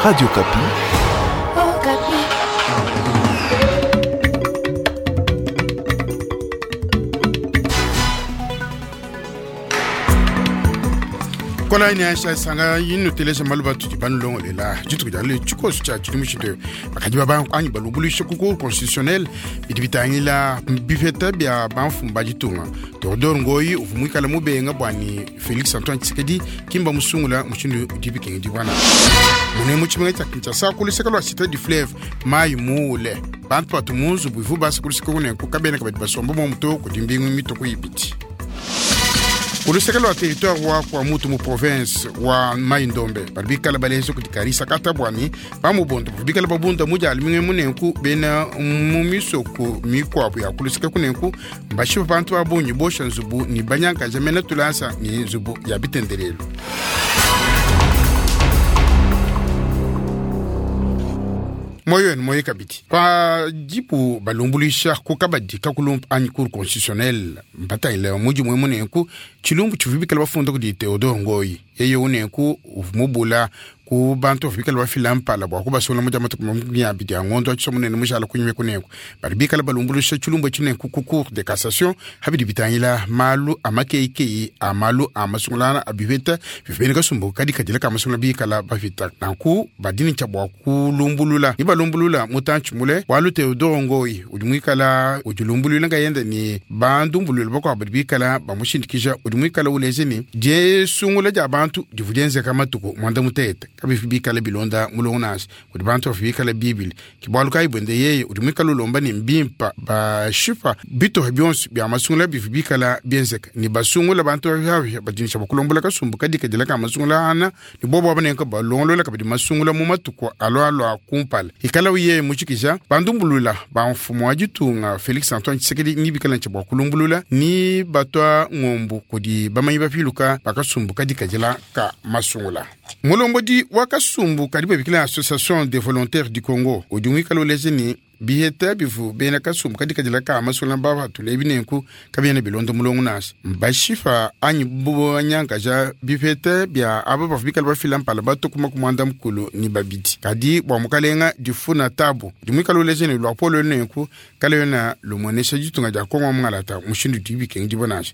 Radio Okapi. Okapi. Kola ine aisha sanga yinu telesha maluba tudi banulongolela dituku dia lelu tshikoso tshia tshidimu tshitu bakadi baba anyi balumbuluisha ku cour constitutionnel bidi bitangila bipeta bia bamfumu ba ditunga. Théodore Ngoyi uvua muikale mubenga bua Félix Antoine Tshisekedi kimba musungula mushindu udi bikengedibua mune mu tshimenga tshia Kinshasa ku luseke lua Cité du Fleuve mayi muule bantu batu mu nzubu ivu basa ku luseke kunenku kabena kabadi basomba momu to kudi mbingu mituku ibidi. Ku luseke lua territoire wa Kwamouth mu province wa Mai-Ndombe badi bikala baleja kudi Karisa Katabwani bamubondo bavua bikala babunda mu dia lumingu munenku bena mu misoko mikuabu ya ku luseke kunenku mbashipa bantu ba bungi bosha nzubu ni banyankaja mena tulasa ni nzubu ya bitendelelu. Moyo wenu moyo kabidi pa dipu balumbuluisha ku kabadi kakulumpa anyi cour constitutionnelle mbatangile mudimu munenku tshilumbu tshivua bikala bafunda kudi Théodore Ngoyi yeye unenku uvua mubula ku bantu bavua bikala bafila mpala bua kubasungula mu dia matuku makumi abidi a ngondo wa tshisomo munene mushala kunyima kunenku badi bikala balumbuluisha tshilumbu tshinenku ku cour de cassation habidi bitangila malu a makeikeyi a malu a masungulana a bipeta bivua bena kasumbu kadi kadila ka masungula bikala bafita nanku badini tshia bua kulumbulula ni balumbulula mutantshi mule bualu Théodore Ngoyi udi muikala udilumbuluila nkayende ni bandumbulula bakuabu badi bikala bamushindikija udi muikala uleja ni diesungula dia bantu divua dienzeka matuku mwanda mutete kabivi bikala bilonda mulongo nansha kudi bantu bavua bikala bibili ke bualu kayi buende yeye udi muikala ulomba ni mbimpa bashipa bitohe bionso bia masungula bivua bikala bienzeka ni basungula bantu baviavia badinisha bakulombola kasumbu kadi kadila ka masungula ana ni bobo abanenka balongolola kabidi masungula mu matuku aloaloa kumpala ikala uye mutshikija bandumbulula ba mfumu wa ditunga Félix Antoine Tshisekedi ni bikala ntshia bua kulumbulula ni batwa ngombu kudi bamanyi bapiluka bakasumbu kadi kadila ka masungula. Mulombodi wa kasumbu kadi babikila Association des volontaires du Congo udi muikala uleja ni biheta bivu bena kasumbu kadi kadila ka masungula babatula ebinenku kabiena bilonda mulongo nansha bashifa anyi banyankaja bipeta bia aba bavua bikala bafila mpala batukuma ku mwanda mukulu ni babidi kadi bua mukalenga difuna tabu udi muikala uleja ni luapolo nenku kala yona lumuonesha ditunga dia Kongo mungalata mushindu udi bikengedibua nansha.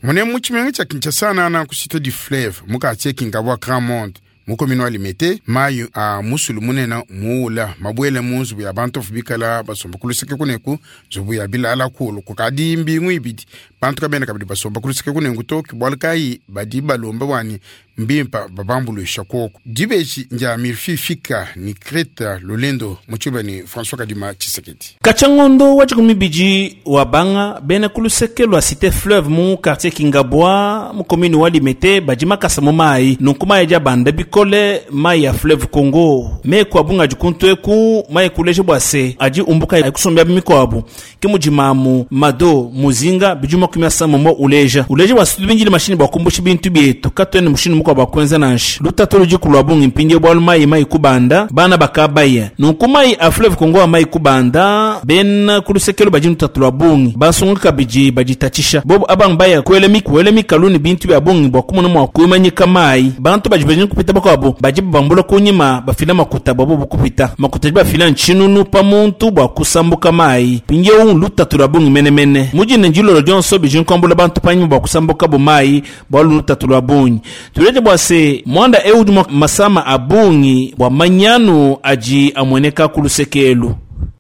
Mune mu tshimenga tshia Kinshasa nana ku Cité du Fleuve mu quartier Kingabwa Grand Monde mu commune wa Limete mayi a musulu munene muula mabuele mu nzubu ya bantu bavua bikala basomba ku luseke kuneku nzubu ya bilala kulu kukadi mbingu ibidi bantu kabena kabidi basomba ku luseke kunenku to ke bualu kayi badi balomba bwani mbimpa babambuluisha koko dibeji ndia Mirfi Fika ni Kreta Lolendo mu tshiba ni François Kadima Tshisekedi. Katshia wa dikumi bidi wa banga bena ku luseke lua Cité Fleuve mu quartier Kingabwa mu commune wa Limete badi makasa mu mayi nunku mayi adi abanda bikole mayi ya Fleuve Congo meku abunga adi kuntu eku mayi kuleja bua se adi umbuka akusombia mikuabu ke mudi mamu mado muzinga bidi makumi asambombo mo uleja uleja bua se tubindile mashini bua kumbusha bintu bietu katuene mushindu mukuabu bua kuenza nansha lutatu ludi kulua bungi mpindie bualu mayi mayi kubanda bana bakabaya nunku mayi a Fleuve Congo a mayi kubanda bena ku lusekelo badi lutatu lua bungi basunga kabidi baditatshisha bobo abang baya kuela kuela mikalu ni bintu bia bungi bua kumona mua kuimanyika mayi bantu badi badi kupita bakuabu badi babambula kunyima bafila makuta bobo bukupita makuta badi bafila ntshinunu pa muntu bua kusambuka mayi mpindiewu lutatu lua bungi menemene mudine ndilolo dionso bidi nkuambula bantu panyima bua kusambuka bo mayi bualu lutatu lua bungi tulete bua se mwanda eu udi masama a bungi bua manyanu adi amueneka ku lusekelu.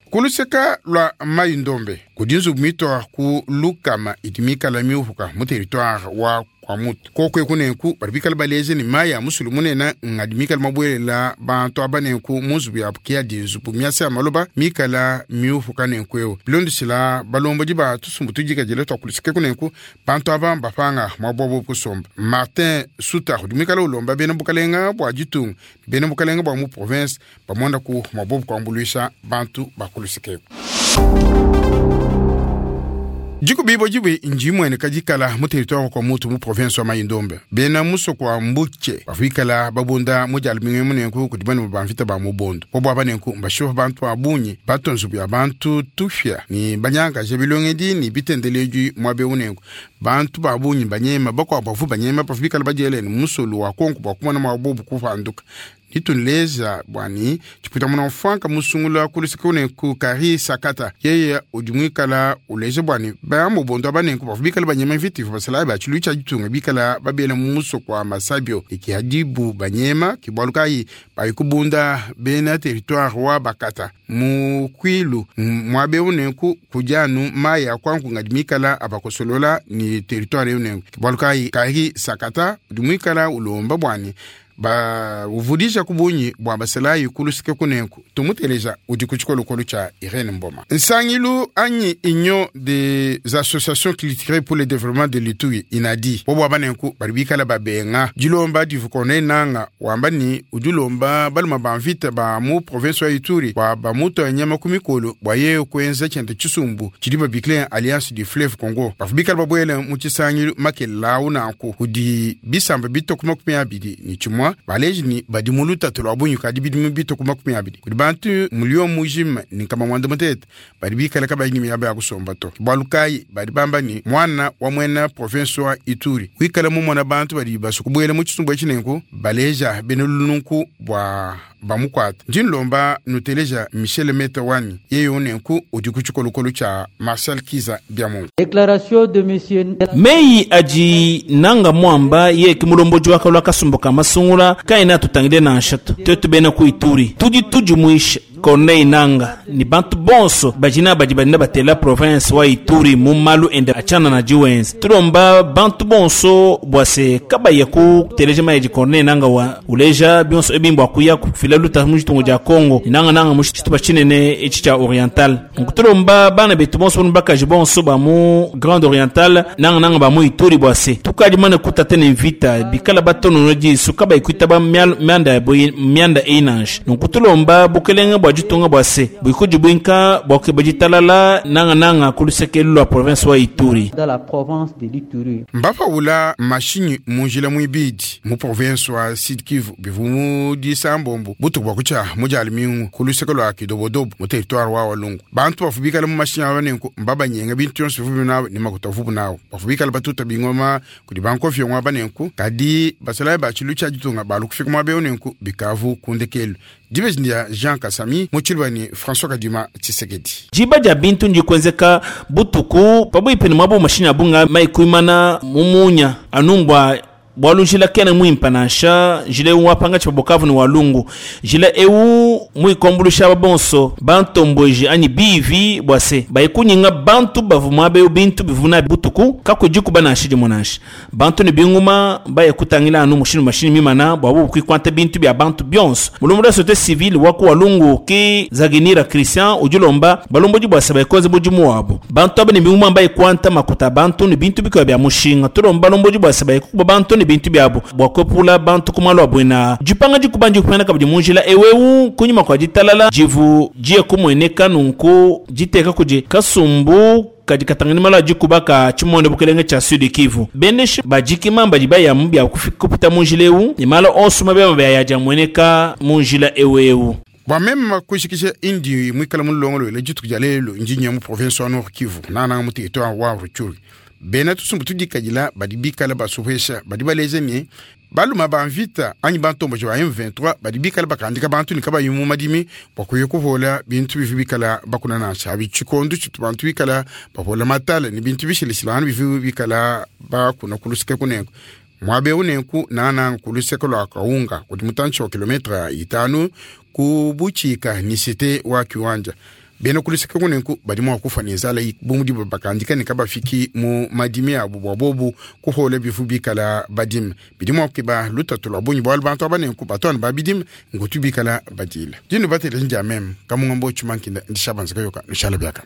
Ku luseka lua Mai Ndombe kudi nzubu mitua ku lukama idi mikala miupuka mu territoire wa Kwamouth koko eku nenku badi bikala baleja ni mayi a musulu munene ngadi mikala mabuelela bantu aba nenku mu nzubu yabu ke adi nzubu miasa ya maloba mikala miupuka nenku eu bilondeshila balombodi ba tusumbu tudikadile tua ku luseke ku nenku bantu aba mbapanga muabu kusomba. Martin Suta udi muikala ulomba bena bukalenga bua ditunga bena bukalenga bua mu province bamonda ku muabu kuambuluisha bantu ba ku luseke eku. Diko bibo dibwe njimwene kadikala mu territoire wa Kwamouth mu province wa Mai-Ndombe bena musoko wa Mbuche bafikala babunda mu dia lumingu munenku kudi bana ba mvita ba mubondo bobo abanenku mbashipa bantu ba bungi bato nzubu ya bantu tufya ni banyangaje bilongedi ni bitendeleji mwabe unenku. Bantu ba bungi banyema, bakuabu bavu banyema bavu bikala badielene musulu wa konko bua kumona mua bobu kupanduka. Ditunleja bwani tshipita muna mfanka musungula kuluseke ku kari sakata yeye udi muikala uleja bwani bamubondo abanenku bavu bikala banyema mvita basalayi ba tshilu tshia ditunga bikala babela mu musoko wa masabio ikihadibu banyema kibwalu kayi bayikubunda bena territoire wa bakata mu kwilu mwabe unenku kujanu maya kwanku ngadi mikala abakosolola ni territoire unenku kibwalu kayi kari sakata udi muikala ulomba bwani ba uvudisha kubunyi bua basalayi kulusike kunenku tumuteleja udi ku tshikolokolo tshia Irene Mboma. Nsangilu anyi union des associations culturelles pour le développement de l'Ituri inadi bobo abanenku bali bikala babenga dilomba divukone nanga wamba ni udilomba baluma ba mvita ba mu province wa Ituri bua bamuto nyama ku mikolo bua ye kuenza tshiende tshisumbu tshidi babikile Alliance du Fleuve Congo bafu bikala babuele mu tshisangilu makelau nanku kudi bisamba bitoko 20 ni tshimua baleji ni badi mu lutatu lwa bunyu kadi bidimu bitoko 20 kudi bantu mulio mujima ni kama mwanda mutete badi bikala kabayi ni miaba ya kusomba to bwalu kayi badi bamba ni mwana wa mwena province wa Ituri wikala mu mwana bantu badi basukubwele mu tshisumbu etshinenku baleja benelununku bwa bamukwata ndinlomba nuteleja Michel Meta wani yeye unenku udi ku tshikolokolo tshia Marcel Kiza Biamungu. Déclaration de monsieur Meyi aji nanga mwamba ye kimulomboji wakalwa kasumbu ka masungula kaina tutangile na nshatu tetu bena ku Ituri tudi tujumuisha Corneille Nanga ni bantu bonso bajina badi badina batela province wa Ituri mu malu ende achana na jiwenzi tulomba bantu bonso bwase kabaye ku teleje maji Corneille Nanga wa uleja bionso ebimbo akuya kufila luta mu jitungo ja Congo nanga nanga mu chituba chinene echi cha oriental nkutulomba bana betu bonso bakaji bonso ba mu Grande Oriental nanga nanga ba mu Ituri bwase tukaji mana kutatene vita bikala batono no jisu kabaye kuitaba mianda boyi mianda einange nkutulomba bukelenga bwa jitunga bwase bwikuji bwinka bwake bajitalala nanga nanga kulusekelu la province wa Ituri dans la province de l'Ituri. Mbafa wula mashinyi munjila mwibidi mu province wa Sud Kivu bivu disambombo butu bwa kucha mujali mingu kulusekelu lwa kidobodobo mu territoire wa Walungu bantu bafubikala mu mashinyi abanenku mbabanyenga bintu yonse bivu nawo ni makuta vubu nawo bafubikala batuta bingoma kudi bankofyo ngwa banenku kadi basalayi ba tshilu tshia ditunga balukufika mwa beonenku bikavu kundekelu dibeji Jean Kasami muchilwani François Kadima Tshisekedi. Jiba ja bintu njikwenzeka butuku pabwipeni mwabo mashini abunga maikuimana mumunya anumbwa bwalujila kene mwimpa nansha jile wapanga cha Bukavu ni walungu jile eu mwikombulushaba bonso bantombweji ani bivi bwase bayikunyinga bantu bavuma be bintu bivuna butuku kakujiku banashi dimonanshi bantu ni binguma bayekutangila anu mushini mashini mimana bwabu kwikwanta bintu bya bantu bionso mulumbu société civile waku walungu ki zaginira Christian ujulomba balomboji bwase bayekoze bujimu wabo bantu abene binguma bayekwanta makuta bantu ni bintu bikwa bya mushinga tulomba balomboji bwase bayekuba bantu ni bintu byabo bwakwepula bantu kumalo bwena jipanga jikubanje kupena kabidi munjila ewewu kunyuma kwa jitalala jivu jiye kumweneka nunku jiteka kuje kasumbu kadi katangani mala jikubaka chimonde bukelenge cha Sud Kivu beneshi bajikima bajibaya mubya kupita munjila ewu ni mala onso mabya mabya mweneka munjila ewewu bwa meme kushikisha indi mwikala mulongolo le jitu jalelo njinya mu province wa Nord Kivu nana mu territoire wa Rutshuru bena tusumbu tudikajila badi bikala basuhesha badi baleze ni baluma banvita anyi bantombo ba M23 badi bikala bakandika bantu ni kabayi mu madimi bakuye kuhola bintu bivi bikala bakuna nansha bichikondu chitu bantu bikala bahola matala ni bintu bishilishilana bivi bikala bakuna kulusike kunengo mwabe unenku nana kuluseke lwa kaunga kudi mutanchi wa kilometra 5 kubuchika ni site wa kiwanja bena kuliseke kunenku badi mwa kufa ni zala bumudi bakandika ni kabafiki mu madimi abu bwabobu kuhole bifu bikala badim bidi mwa kiba lutatu lwa bunyi bwalu bantu abanenku batwana babidim ngutu bikala badila dinu batele njamem kamungambo chumankinda ndishabanzika yoka nishala byaka.